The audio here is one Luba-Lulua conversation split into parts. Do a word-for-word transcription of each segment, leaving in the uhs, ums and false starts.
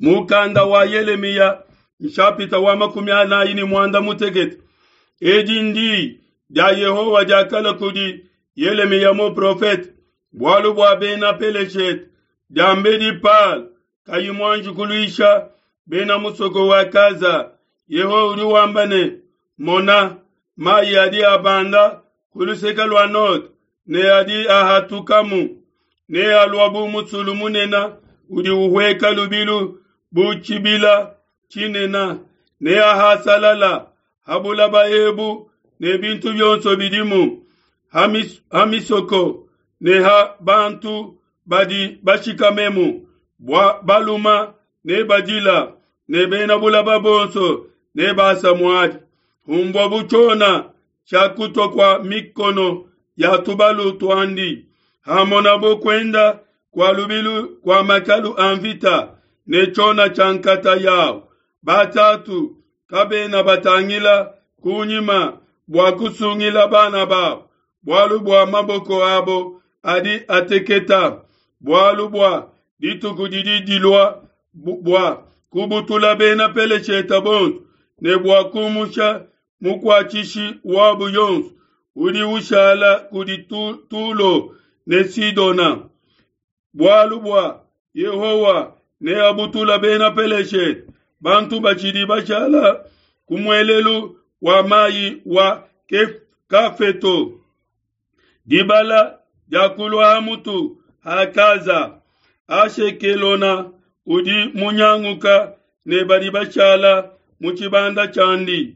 Mukanda wa Yelemiya nshapita wa makumi anayi ne muanda mutekete. Edi ndi dia Yehowa diakalua kudi Yelemiya muprofete bualu bua bena Peleshete diambedi Palo kayi muanji kuluisha bena musoko wa Gaza. Yehowa udi wamba ne, Mona, mayi adi abanda ku luseke lua node ne adi ahatukamu, ne alua bu musulu munene udi uhueka lubilu bu tshibila tshinene, ne ahasalala ha bulaba ebu ne bintu bionso bidimu, ha mis- ha misoko ne ha bantu badi bashikamemu, bua baluma ne badila ne bena bulaba bonso ne basa muadi. Humbua bu tshiona tshia kutua kua mikono ya tubalu tuandi, hamonabo kuenda kua lubilu kua makalu a mvita ne tshiona tshia nkata yao. Batatu kabena batangila kunyima bua kusungila bana babo, bualu bua maboko abo adi ateketa, bualu bua dituku didi dilua bu- bua kubutula bena Peleshete bonso ne bua kumusha mukuatshishi wabo yonso udi ushala kudi Tu- Tulo ne Sidona. Bualu bua Yehowa neabutula bena Peleshete, bantu batshidi bashala ku muelelu wa mayi wa Kef- Kafeto. Dibala diakulua ha mutu ha Gaza, Ashekelona udi munyanguka ne badi bashala mu tshibanda tshiandi.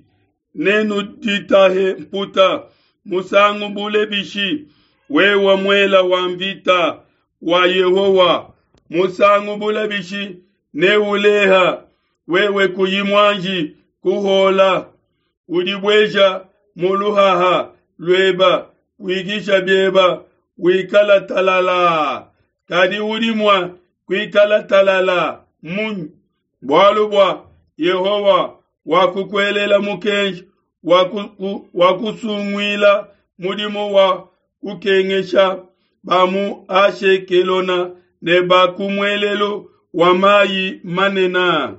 Nenuditahe mputa musangu bule bishi, wewe muela wa mvita wa Yehowa? Musangu bule bishi neuleha, wewe kuyi muanji kuhola? Udibueja mu luhaha lueba, wikisha bieba, wikala talala. Kadi udi mua kuikala talala munyi? Bualu bua Yehowa wakukuelela mukenji wa kusunguila mudimu wa kukengesha ba mu Ashekelona ne ba ku muelelu wa mayi manene.